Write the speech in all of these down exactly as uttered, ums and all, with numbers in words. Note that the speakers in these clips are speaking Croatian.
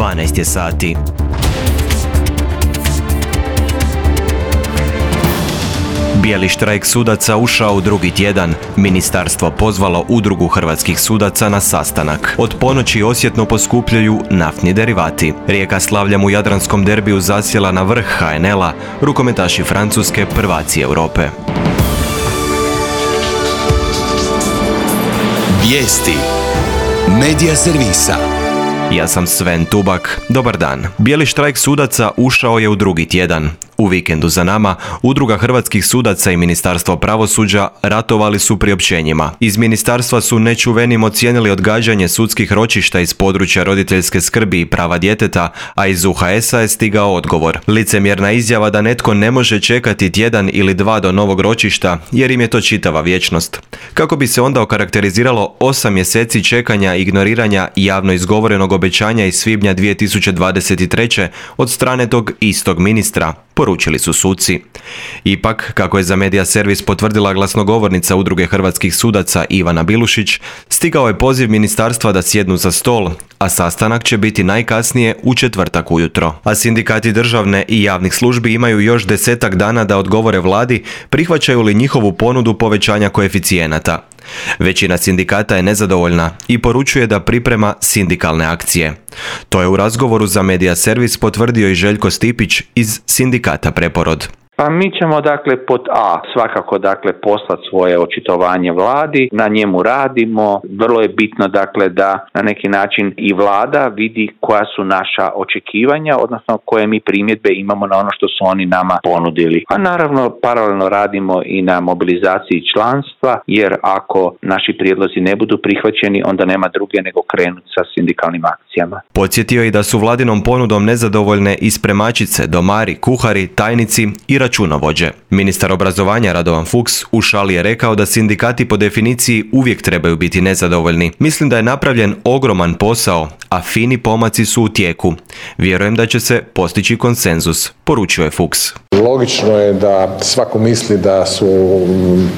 dvanaest je sati. Bijeli štrajk sudaca ušao u drugi tjedan. Ministarstvo pozvalo udrugu hrvatskih sudaca na sastanak. Od ponoći osjetno poskupljaju naftni derivati. Rijeka slavljam u jadranskom derbiju zasjela na vrh ha en el-a, rukometaši Francuske prvaci Europe. Vijesti Medija servisa. Ja sam Sven Tubak. Dobar dan. Bijeli štrajk sudaca ušao je u drugi tjedan. U vikendu za nama, Udruga hrvatskih sudaca i Ministarstvo pravosuđa ratovali su priopćenjima. Iz ministarstva su nečuvenim ocijenili odgađanje sudskih ročišta iz područja roditeljske skrbi i prava djeteta, a iz u ha es a je stigao odgovor. Licemjerna izjava da netko ne može čekati tjedan ili dva do novog ročišta, jer im je to čitava vječnost. Kako bi se onda okarakteriziralo osam mjeseci čekanja i ignoriranja javno izgovorenog obećanja iz svibnja dvije tisuće dvadeset treće od strane tog istog ministra, poručili su suci. Ipak, kako je za Medija servis potvrdila glasnogovornica Udruge hrvatskih sudaca Ivana Bilušić, stigao je poziv ministarstva da sjednu za stol, a sastanak će biti najkasnije u četvrtak ujutro. A sindikati državne i javnih službi imaju još desetak dana da odgovore vladi prihvaćaju li njihovu ponudu povećanja koeficijenata. Većina sindikata je nezadovoljna i poručuje da priprema sindikalne akcije. To je u razgovoru za Medija servis potvrdio i Željko Stipić iz sindikata Preporod. Pa mi ćemo dakle pod A svakako dakle poslati svoje očitovanje vladi, na njemu radimo. Vrlo je bitno dakle da na neki način i vlada vidi koja su naša očekivanja, odnosno koje mi primjedbe imamo na ono što su oni nama ponudili. A naravno paralelno radimo i na mobilizaciji članstva, jer ako naši prijedlozi ne budu prihvaćeni, onda nema druge nego krenuti sa sindikalnim akcijama. Podsjetio i da su vladinom ponudom nezadovoljne i spremačice, domari, kuhari, tajnici i računovođe. Ministar obrazovanja Radovan Fuchs u šali je rekao da sindikati po definiciji uvijek trebaju biti nezadovoljni. Mislim da je napravljen ogroman posao, a fini pomaci su u tijeku. Vjerujem da će se postići konsenzus, poručuje Fuchs. Logično je da svako misli da su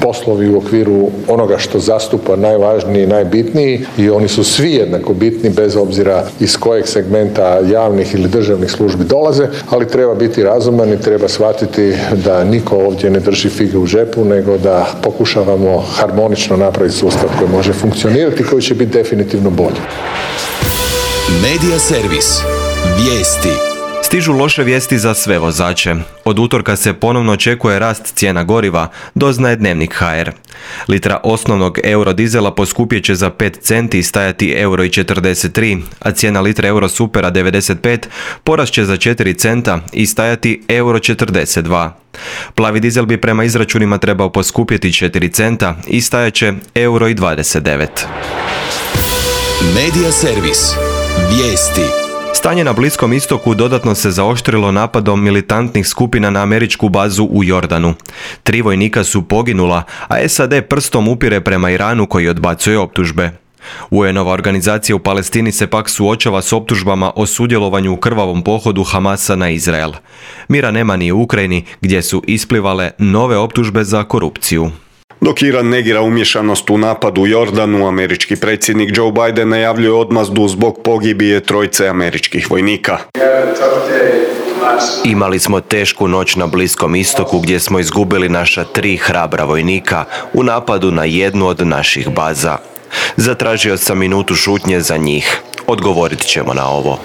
poslovi u okviru onoga što zastupa najvažniji i najbitniji i oni su svi jednako bitni bez obzira iz kojeg segmenta javnih ili državnih službi dolaze, ali treba biti razuman i treba shvatiti da niko ovdje ne drži fige u džepu, nego da pokušavamo harmonično napraviti sustav koji može funkcionirati i koji će biti definitivno bolji. Medija servis. Vijesti. Stižu loše vijesti za sve vozače. Od utorka se ponovno očekuje rast cijena goriva, doznaje Dnevnik ha er. Litra osnovnog eurodizela poskupjet će za pet centi i stajati euro četrdeset tri, a cijena litre Eurosupera devedeset pet porast će za četiri centa i stajati euro četrdeset dva. Plavi dizel bi prema izračunima trebao poskupjeti četiri centa i stajat će euro dvadeset devet. Medija servis. Vijesti. Stanje na Bliskom istoku dodatno se zaoštrilo napadom militantnih skupina na američku bazu u Jordanu. Tri vojnika su poginula, a es a de prstom upire prema Iranu koji odbacuje optužbe. u en ova organizacija u Palestini se pak suočava s optužbama o sudjelovanju u krvavom pohodu Hamasa na Izrael. Mira nema ni u Ukrajini, gdje su isplivale nove optužbe za korupciju. Dok Iran negira umješanost u napad u Jordanu, američki predsjednik Joe Biden najavljuje odmazdu zbog pogibije trojice američkih vojnika. Imali smo tešku noć na Bliskom istoku gdje smo izgubili naša tri hrabra vojnika u napadu na jednu od naših baza. Zatražio sam minutu šutnje za njih. Odgovorit ćemo na ovo.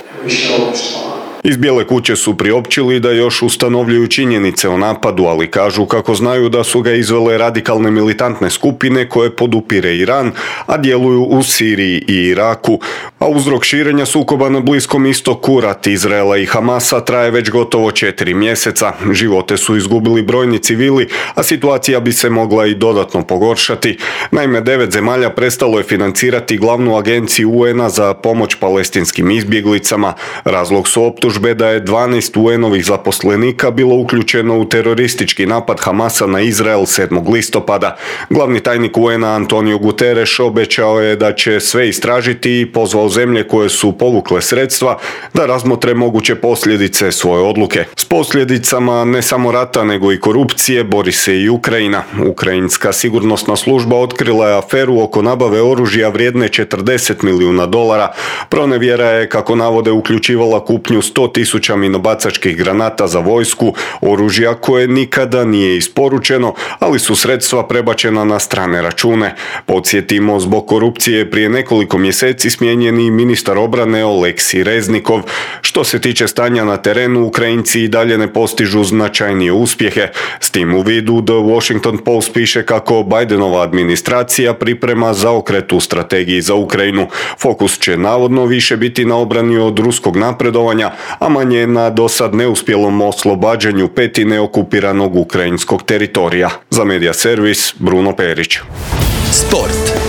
Iz Bijele kuće su priopćili da još ustanovljuju činjenice o napadu, ali kažu kako znaju da su ga izvele radikalne militantne skupine koje podupire Iran, a djeluju u Siriji i Iraku. A uzrok širenja sukoba na Bliskom istoku, rat Izraela i Hamasa, traje već gotovo četiri mjeseca. Živote su izgubili brojni civili, a situacija bi se mogla i dodatno pogoršati. Naime, devet zemalja prestalo je financirati glavnu agenciju u en a za pomoć palestinskim izbjeglicama. Razlog su optužbe optužbe da je dvanaest U N-ovih zaposlenika bilo uključeno u teroristički napad Hamasa na Izrael sedmog listopada. Glavni tajnik U N-a Antonio Guterres obećao je da će sve istražiti i pozvao zemlje koje su povukle sredstva da razmotre moguće posljedice svoje odluke. S posljedicama ne samo rata nego i korupcije bori se i Ukrajina. Ukrajinska sigurnosna služba otkrila je aferu oko nabave oružja vrijedne četrdeset milijuna dolara. Pronevjera je, kako navode, uključivala kupnju sto tisuća minobacačkih granata za vojsku, oružja koje nikada nije isporučeno, ali su sredstva prebačena na strane račune. Podsjetimo, zbog korupcije prije nekoliko mjeseci smijenjen i ministar obrane Oleksij Reznikov. Što se tiče stanja na terenu, Ukrajinci i dalje ne postižu značajnije uspjehe. S tim u vidu The Washington Post piše kako Bidenova administracija priprema zaokret u strategiji za Ukrajinu. Fokus će navodno više biti na obrani od ruskog napredovanja, a manje na dosad neuspjelom oslobađanju petine okupiranog ukrajinskog teritorija. Za Media Servis, Bruno Perić. Sport.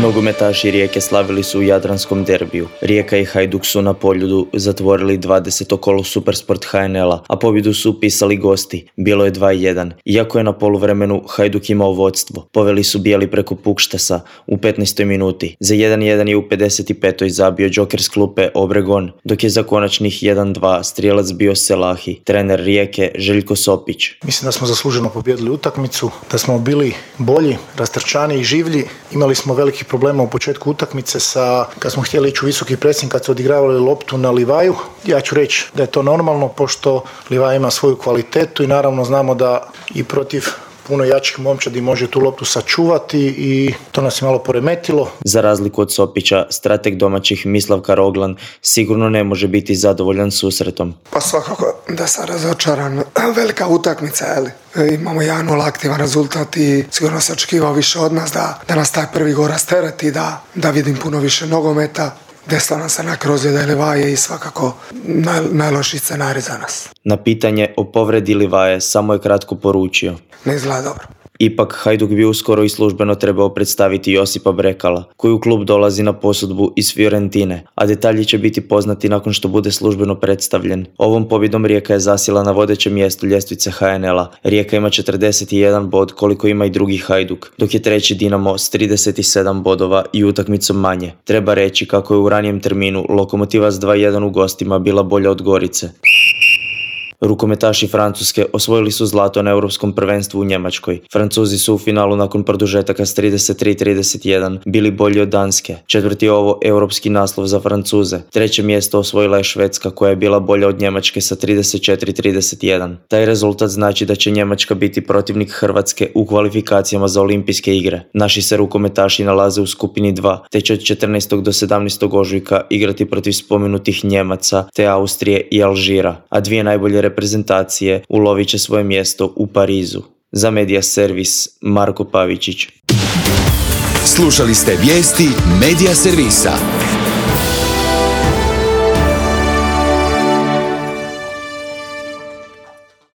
Nogometaši Rijeke slavili su u jadranskom derbiju. Rijeka i Hajduk su na Poljudu zatvorili dvadeseto kolo Supersport H N L-a, a pobjedu su upisali gosti. Bilo je dva jedan. Iako je na poluvremenu Hajduk imao vodstvo, poveli su bijeli preko Pukštasa u petnaestoj minuti. Za jedan jedan je u pedeset petoj zabio džoker s klupe Obregon, dok je za konačnih jedan dva strijelac bio Selahi. Trener Rijeke Željko Sopić. Mislim da smo zasluženo pobijedili utakmicu, da smo bili bolji, rastrčani i življi. Imali smo veliki problema u početku utakmice sa, kad smo htjeli ići u visoki presing, kad su odigravali loptu na Livaju. Ja ću reći da je to normalno, pošto Livaja ima svoju kvalitetu i naravno znamo da i protiv puno jačih momčadi može tu loptu sačuvati i to nas je malo poremetilo. Za razliku od Sopića, strateg domaćih Mislav Karoglan sigurno ne može biti zadovoljan susretom. Pa svakako da sam razočaran. Velika utakmica, jeli? Imamo jedan nula aktivan rezultat i sigurno se očekivao više od nas da, da nas taj prvi gol rastereti, da, da vidim puno više nogometa. Desila nam se neka ozljeda Livaje i svakako naj, najlošiji scenarij za nas. Na pitanje o povredi Livaje samo je kratko poručio: ne izgleda dobro. Ipak Hajduk bi uskoro i službeno trebao predstaviti Josipa Brekala, koji u klub dolazi na posudbu iz Fiorentine, a detalji će biti poznati nakon što bude službeno predstavljen. Ovom pobjedom Rijeka je zasjela na vodećem mjestu ljestvice H N L-a. Rijeka ima četrdeset jedan bod, koliko ima i drugi Hajduk, dok je treći Dinamo s trideset sedam bodova i utakmicom manje. Treba reći kako je u ranijem terminu Lokomotiva s dva jedan u gostima bila bolja od Gorice. Rukometaši Francuske osvojili su zlato na europskom prvenstvu u Njemačkoj. Francuzi su u finalu nakon produžetaka s trideset tri trideset jedan bili bolji od Danske. Četvrti je ovo europski naslov za Francuze. Treće mjesto osvojila je Švedska, koja je bila bolja od Njemačke sa trideset četiri trideset jedan. Taj rezultat znači da će Njemačka biti protivnik Hrvatske u kvalifikacijama za olimpijske igre. Naši se rukometaši nalaze u skupini dva, te će od četrnaestog do sedamnaestog ožujka igrati protiv spomenutih Njemaca, te Austrije i Alžira, a dvije najbolje reprezentacije ulovit će svoje mjesto u Parizu. Za Media Servis, Marko Pavičić. Slušali ste vijesti Media Servisa.